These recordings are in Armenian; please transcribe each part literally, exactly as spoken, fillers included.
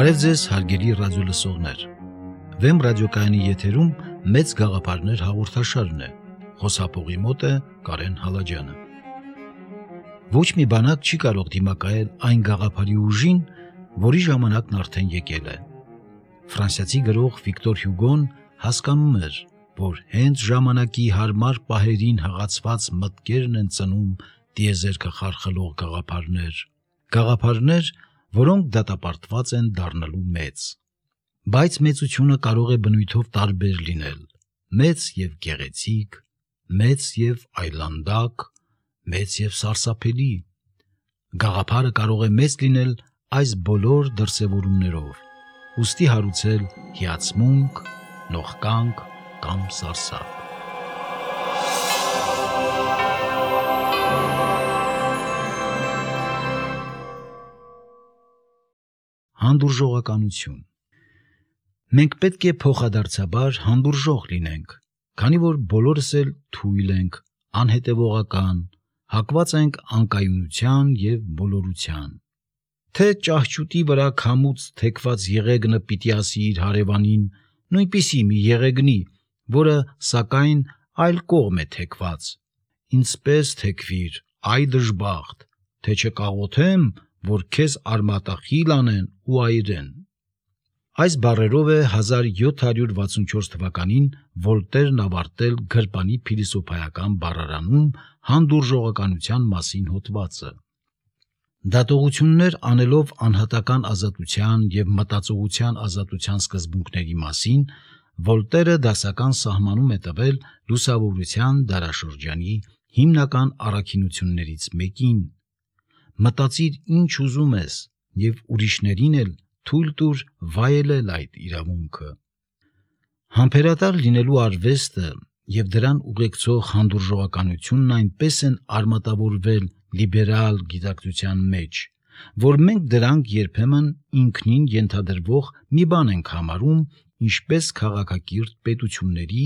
Բարև ձեզ հարգելի ռադիոլսողներ։ Վեմ ռադիոկայանի եթերում մեծ գաղափարներ հաղորդաշարն է։ Խոսափողի մոտ է Կարեն Հալաջյանը։ Ոչ մի բանակ չի կարող դիմակայել այն գաղափարի ուժին, որի ժամանակն արդեն եկել է։ Ֆրանսիացի գրող Վիկտոր Հյուգոն հասկանում էր, որ հենց ժամանակի հարմար պահերին հղացված մտքերն են ծնում տիեզերքը խարխլող գաղափարներ, գաղափարներ, որոնք դատապարտված են դառնալու մեծ։ Բայց մեծությունը կարող է բնույթով տարբեր լինել՝ մեծ եւ գեղեցիկ, մեծ եւ այլանդակ, մեծ եւ սարսափելի։ Գաղափարը կարող է մեծ լինել այս բոլոր դրսևորումներով, ուստի հարուցել հիացմունք, նողկանք կամ սարսափ։ Հանդուրժողականություն։ Մենք պետք է փոխադարձաբար հանդուրժող լինենք, քանի որ բոլորս էլ թույլ ենք, անհետևողական, հակված ենք անկայունության եւ բոլորության։ Թե ճահճուտի վրա քամուց թեքված եղեգնը պիտի ասի իր հարևանին, նույնպիսի մի եղեգնի, որը սակայն այլ կողմ է թեքված, ինձպես թեքվիր, այ դժբախտ, թե չկաղոթեմ, որ քեզ արմատախիլ անեն ու այրեն։ Այս բառերով է հազար յոթ հարյուր վաթսունչորս թվականին Վոլտերն ավարտել գրպանի փիլիսոփայական բառարանում հանդուրժողականության մասին հոդվածը։ Դատողություններ անելով անհատական ազատության եւ մտածողության ազատության սկզբունքների մասին, Վոլտերը դասական սահմանում է տվել լուսավորության դարաշրջանի հիմնական առաքինություններից մեկին. մտածիր ինչ ուզում ես եւ ուրիշներին էլ թույլ տուր վայելել այդ իրավունքը։ Համբերատար լինելու արվեստը եւ դրան ուղեկցող հանդուրժողականությունն այնպես են արմատավորվել լիբերալ գիտակցության մեջ, որ մենք դրանք երբեմն ինքնին ենթադրվող մի բան ենք համարում, ինչպես քաղաքակիրթ պետությունների,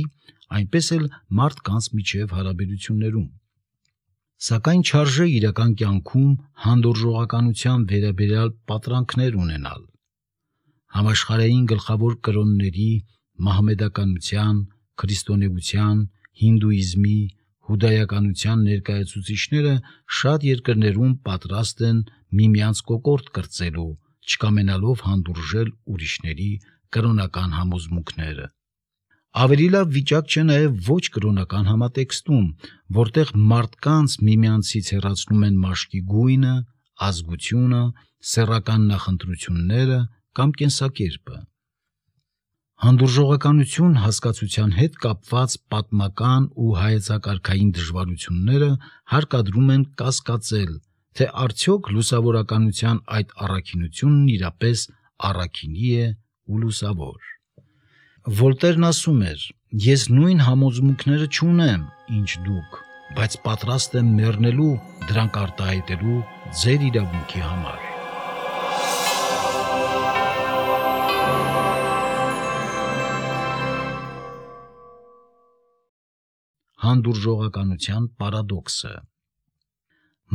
այնպես էլ մարդկանց միջև հարաբերություններում։ Սակայն չարժե իրական կյանքում հանդուրժողականության վերաբերյալ պատրանքներ ունենալ։ Համաշխարհային գլխավոր կրոնների, մահմեդականության, քրիստոնեության, հինդուիզմի, հուդայականության ներկայացուցիչները շատ երկրներում պատրաստ են միմյանց կոկորդ կրծելու, չկամենալով հանդուրժել ուրիշների կրոնական համոզմունքները։ Ավելի լավ վիճակ չէ նաև ոչ կրոնական համատեքստում, որտեղ մարդկանց միմյանցից հեռացնում են մաշկի գույնը, ազգությունը, սեռական նախընտրությունները կամ կենսակերպը։ Հանդուրժողականություն հասկացության հետ կապված պատմական ու հայեցակարգային դժվարությունները հարկադրում են կասկածել, թե արդյոք լուսավորականության այդ առաքինությունն իրապես առաքինի է ու լուսավոր։ Վոլտերն ասում էր. ես նույն համոզմունքները չունեմ, ինչ դուք, բայց պատրաստ եմ մեռնելու դրանք արտահայտելու ձեր իրավունքի համար։ Հանդուրժողականության պարադոքսը։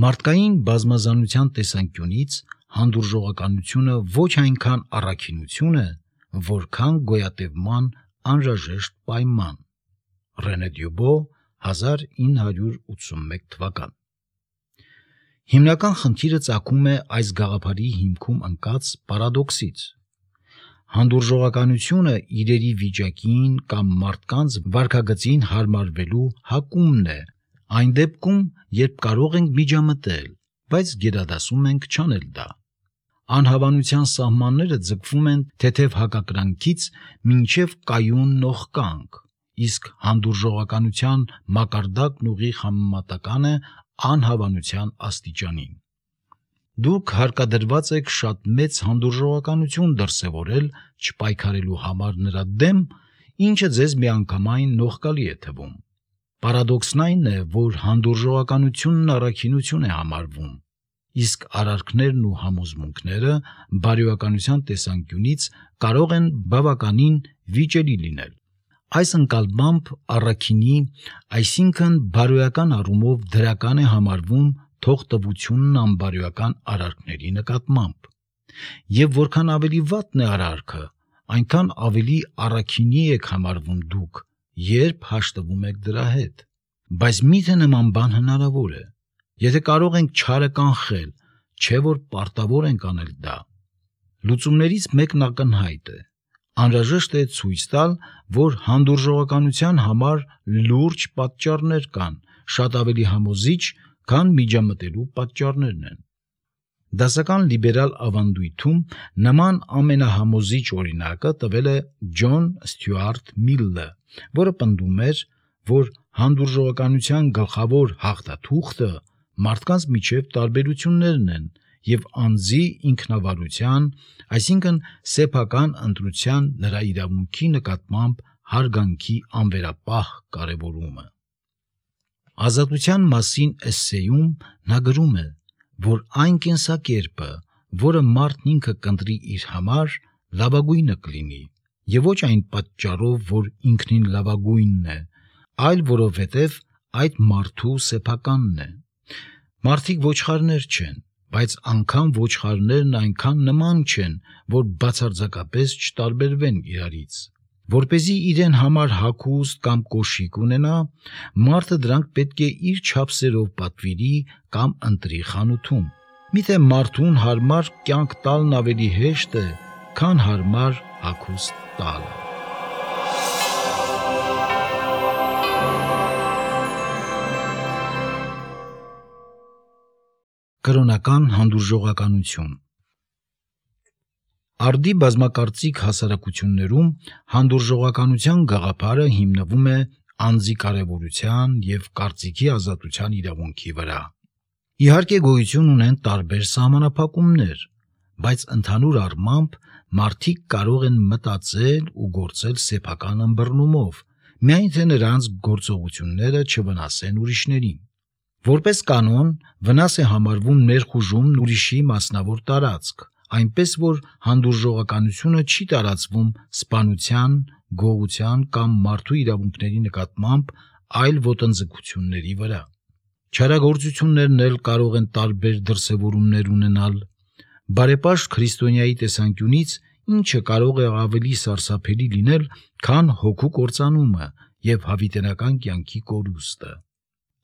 Մարդկային բազմազանության տեսանկյունից հանդուրժողականությունը ոչ այնքան առաքինություն է, որքան գոյատևման անհրաժեշտ պայման։ Ռենե Դյուբո, հազար ինը հարյուր ութսունմեկ թվական։ Հիմնական խնդիրը ծագում է այս գաղափարի հիմքում ընկած պարադոքսից։ Հանդուրժողականությունը իրերի վիճակին կամ մարդկանց վարքագծին հարմարվելու հակումն է, այն դեպքում, երբ կարող ենք միջամտել, բայց գերադասում ենք չանել դա։ Անհավանության սահմանները ձգվում են թեթև հակակրանքից մինչև կայուն նողկանք, իսկ հանդուրժողականության մակարդակն ուղիղ համեմատական է անհավանության աստիճանին։ Դուք հարկադրված եք շատ մեծ հանդուրժողականություն դրսևորել չպայքարելու համար նրա դեմ, ինչը ձեզ միանգամայն նողկալի է թվում։ Պարադոքսն այն է, որ հանդուրժողականությունն առաքինություն է համարվում, իսկ արարքներն ու համոզմունքները բարոյականության տեսանկյունից կարող են բավականին վիճելի լինել։ Այս ընկալմամբ առաքինի, այսինքն բարոյական առումով դրական է համարվում թողտվությունն անբարոյական արարքների նկատմամբ։ Եվ որքան ավելի վատն է արարքը, այնքան ավելի առաքինի եք համարվում դուք, երբ հաշտվում եք դրա հետ։ Բայց միթե նման բան հնարավոր է։ Եթե կարող ենք չարը կանխել, չէ որ պարտավոր ենք անել դա։ Լուծումներից մեկն ակնհայտ է։ Անհրաժեշտ է ցույց տալ, որ հանդուրժողականության համար լուրջ պատճառներ կան, շատ ավելի համոզիչ, քան միջամտելու պատճառներն են։ Դասական լիբերալ ավանդույթում նման ամենահամոզիչ օրինակը տվել է Ջոն Ստյուարտ Միլը, որը պնդում էր, որ հանդուրժողականության գլխավոր հաղթաթուղթը մարդկանց միջև տարբերություններն են և անձի ինքնավարության, այսինքն սեփական ընտրության նրա իրավունքի նկատմամբ հարգանքի անվերապահ կարևորումը։ Ազատության մասին էսսեյում նա գրում է, որ այն կենսակերպը, որը մարդն ինքը կընտրի իր համար, լավագույնը կլինի, և ոչ այն պատճառով, որ ինքնին լավագույնն է, այլ որովհետև այդ մարդու սեփականն է։ Մարդիկ ոչխարներ չեն, բայց անգամ ոչխարներն այնքան նման չեն, որ բացարձակապես չտարբերվեն իրարից։ Որպեսզի իրեն համար հագուստ կամ կոշիկ ունենա, մարդը դրանք պետք է իր չափսերով պատվիրի կամ ընտրի խանութում։ Միթե մարդուն հարմար կյանք տալն ավելի հեշտ է, քան հարմար հագուստ տալը։ Կրոնական հանդուրժողականություն։ Արդի բազմակարծիք հասարակություններում հանդուրժողականության գաղափարը հիմնվում է անձի կարևորության և կարծիքի ազատության իրավունքի վրա։ Իհարկե գոյություն ունեն տարբեր սահմանափակումներ, բայց ընդհանուր առմամբ մարդիկ կարող են մտածել ու գործել սեփական ըմբռնումով, միայն թե նրանց գործողությունները չվնասեն ուրիշներին։ Որպես կանոն, վնաս է համարվում ներխուժումն ուրիշի մասնավոր տարածք, այնպես որ հանդուրժողականությունը չի տարածվում սպանության, գողության կամ մարդու իրավունքների նկատմամբ այլ ոտնձգությունների վրա։ Չարագործություններն էլ կարող են տարբեր դրսևորումներ ունենալ։ Բարեպաշտ քրիստոնյայի տեսանկյունից ինչը կարող է ավելի սարսափելի լինել, քան հոգու կործանումը և հավիտենական կյանքի կորուստը։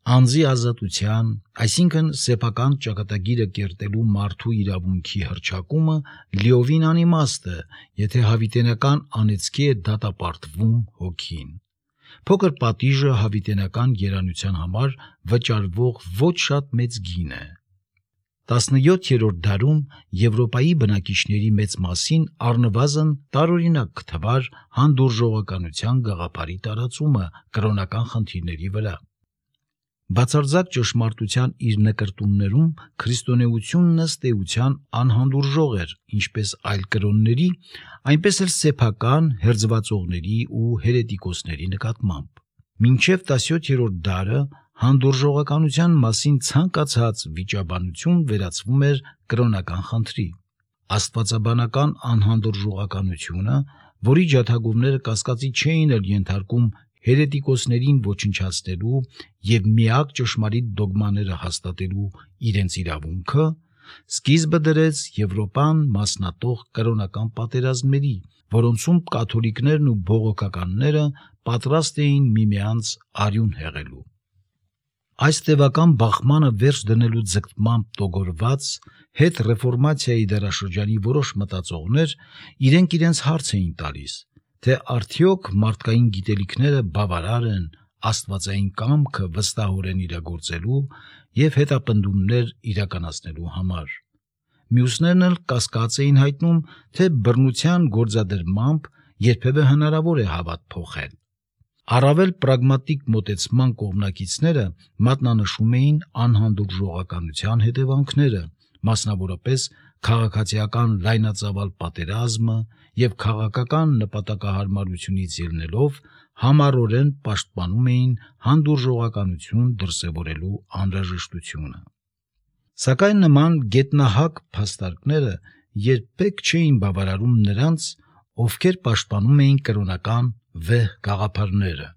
Անձի ազատության, այսինքն սեփական ճակատագիրը կերտելու մարդու իրավունքի հռչակումը լիովին անիմաստ է, եթե հավիտենական անեծքի է դատապարտվում հոգին։ Փոքր պատիժը հավիտենական երանության համար վճարվող ոչ շատ մեծ գին է։ տասնյոթերորդ դարում Եվրոպայի բնակիչների մեծ մասին առնվազն տարօրինակ կթվար հանդուրժողականության գաղափարի տարածումը կրոնական խնդիրների վրա։ Բացարձակ ճշմարտության իր նկրտումներում քրիստոնեությունն ըստ էության անհանդուրժող էր ինչպես այլ կրոնների, այնպես էլ սեփական հերձվածողների ու հերետիկոսների նկատմամբ։ Մինչև տասնյոթերորդ դարը հանդուրժողականության մասին ցանկացած վիճաբանություն վերածվում էր կրոնական խնդրի։ Աստվածաբանական անհանդուրժողականությունը, որի ջաթագովները կասկածի չէին էլ ենթարկում հերետիկոսներին ոչնչացնելու և միակ ճշմարիտ դոգմաները հաստատելու իրենց իրավունքը, սկիզբը դրեց Եվրոպան մասնատող կրոնական պատերազմների, որոնցում կաթոլիկներն ու բողոքականները պատրաստ էին միմյանց արյուն հեղելու։ Այս տևական բախմանը վերջ դնելու ձգտմամբ տոգորված հետռեֆորմացիայի դարաշրջանի որոշ մտածողներ իրենք իրենց հարց էին տալիս, թե արդյոք մարդկային գիտելիքները բավարար են աստվածային կամքը վստահորեն իրագործելու և հետապնդումներ իրականացնելու համար։ Մյուսներն էլ կասկած էին հայտնում, թե բռնության գործադրմամբ երբևէ հնարավոր է հավատ փոխել։ Առավել պրագմատիկ մոտեցման կողմնակիցները մատնանշում էին անհանդուրժողականության հետևանքները, մասնավորապես քաղաքացիական լայնածավալ պատերազմը և քաղաքական նպատակահարմարությունից ելնելով համառորեն պաշտպանում էին հանդուրժողականություն դրսևորելու անհրաժեշտությունը։ Սակայն նման գետնահակ փաստարկները երբեք չէին բավարարում նրանց, ովքեր պաշտպանում էին կրոնական վեհ գաղափարները։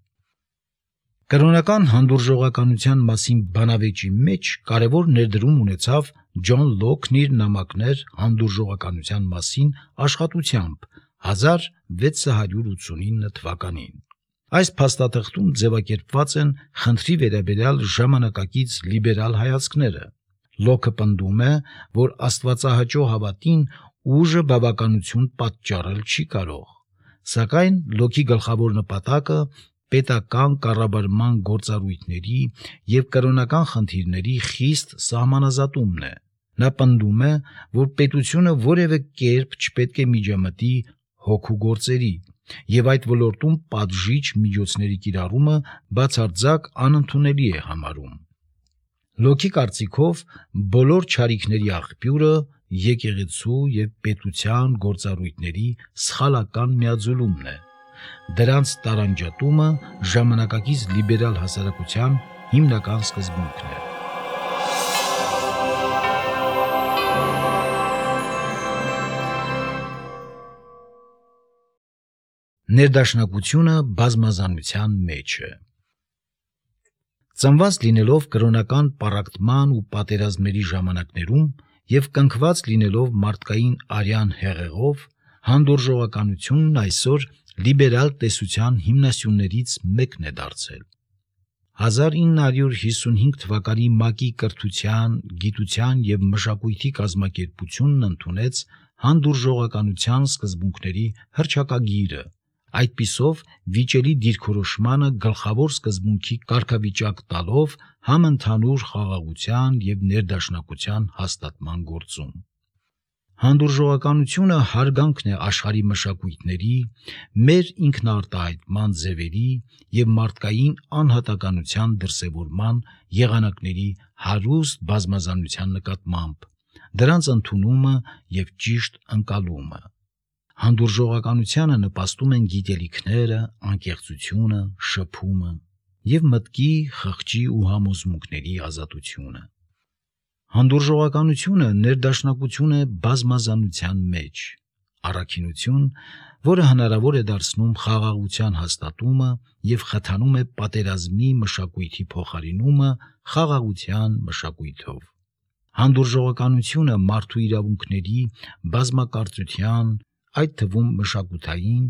Կրոնական հանդուրժողականության մասին բանավեճի մեջ կարևոր ներդրում ունեցավ Ջոն Լոքն իր նամակներ հանդուրժողականության մասին աշխատությամբ հազար վեց հարյուր ութսունինը թվականին։ Այս փաստաթղթում ձևակերպված են խնդրի վերաբերյալ ժամանակակից լիբերալ հայացքները։ Լոքը պնդում է, որ աստվածահաճո հավատին ուժը բավականություն պատճառել չի կարող, սակայն Լոքի գլխավոր նպատակը պետական կառավարման գործառույթների և կրոնական խնդիրների խիստ սահմանազատումն է։ Նա պնդում է, որ պետությունը որևէ կերպ չպետք է միջամտի հոգու գործերի և այդ ոլորտում պատժիչ միջոցների կիրառումը բացարձակ անընդունելի է համարում։ Լոքի կարծիքով բոլոր չարիքների աղբյուրը եկեղեցու և պետության գործառույթների սխալական միաձուլումն է։ Դրանց տարանջատումը ժամանակակից լիբերալ հասարակության հիմնական սկզբունքն է։ Ներդաշնակությունը բազմազանության մեջ է։ Ծնված լինելով կրոնական պառակտման ու պատերազմների ժամանակներում և կնքված լինելով մարդկային արյան հեղեղով, հանդուրժողականությունն այսօր լիբերալ տեսության հիմնասյուներից մեկն է դարձել։ հազար ինը հարյուր հիսունհինգ թվականի ՄԱԿ-ի կրթության, գիտության և մշակույթի կազմակերպությունն ընդունեց հանդուրժողականության սկզբունքների հռչակագիրը, այդպիսով վիճելի դիրքորոշմանը գլխավոր սկզբունքի կարգավիճակ տալով համընդհանուր խաղաղության և ներդաշնակության հաստատման գործում։ Հանդուրժողականությունը հարգանքն է աշխարհի մշակույթների, մեր ինքնարտահայտման ձևերի և մարդկային անհատականության դրսևորման եղանակների հարուստ բազմազանության նկատմամբ, դրանց ընդունումը և ճիշտ ընկալումը։ Հանդուրժողականությանը նպաստում են գիտելիքները, անկեղծությունը, շփումը և մտքի, խղճի ու համոզմունքների ազատությունը։ Հանդուրժողականությունը ներդաշնակություն է բազմազանության մեջ, առաքինություն, որը հնարավոր է դարձնում խաղաղության հաստատումը և խթանում է պատերազմի մշակույթի փոխարինումը խաղաղության մշակույթով։ Հանդուրժողականությունը մարդու իրավունքների, բազմակարծության, այդ թվում մշակութային,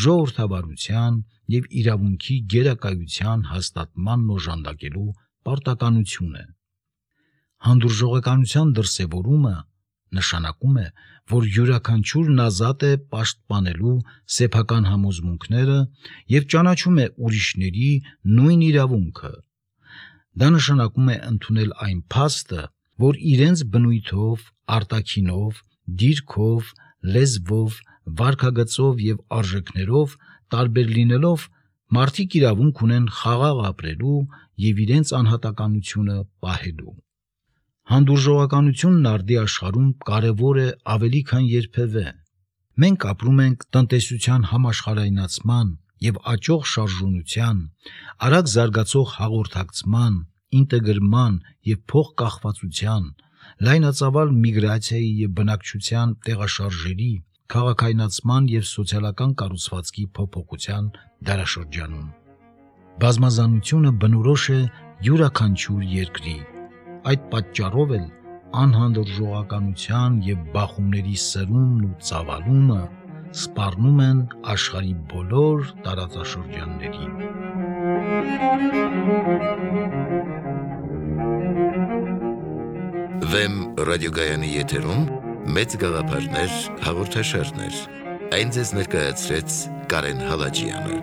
ժողովրդավարության և իրավունքի գերակայության հաստատմանն օժանդակելու պարտականություն է։ Հանդուրժողականության դրսևորումը նշանակում է, որ յուրաքանչյուրն ազատ է պաշտպանելու սեփական համոզմունքները և ճանաչում է ուրիշների նույն իրավունքը։ Դա նշանակում է ընդունել այն փաստը, որ իրենց բնույթով, արտաքինով, դիրքով, լեզվով, վարքագծով և արժեքներով տարբեր լինելով մարդիկ իրավունք ունեն խաղաղ ապրելու և իրենց անհատականությունը պահելու։ Հանդուրժողականությունն արդի աշխարհում կարևոր է ավելի քան երբևէ։ Մենք ապրում ենք տնտեսության համաշխարհայնացման և աճող շարժունության, արագ զարգացող հաղորդակցման, ինտեգրման և փոխկախվածության, լայնածավալ միգրացիայի և բնակչության տեղաշարժերի, քաղաքայնացման և սոցիալական կառուցվածքի փոփոխության դարաշրջանում։ Բազմազանությունը բնորոշ է յուրաքանչյուր երկրի, այդ պատճառով էլ անհանդուրժողականության և բախումների սրումն ու ծավալումը սպառնում են աշխարհի բոլոր տարածաշրջաններին։ Վեմ ռադիոգայանի եթերում մեծ գաղափարներ հաղորդաշարներ։ Այն ձեզ ներկայացրեց Կարեն Հալաջյանը։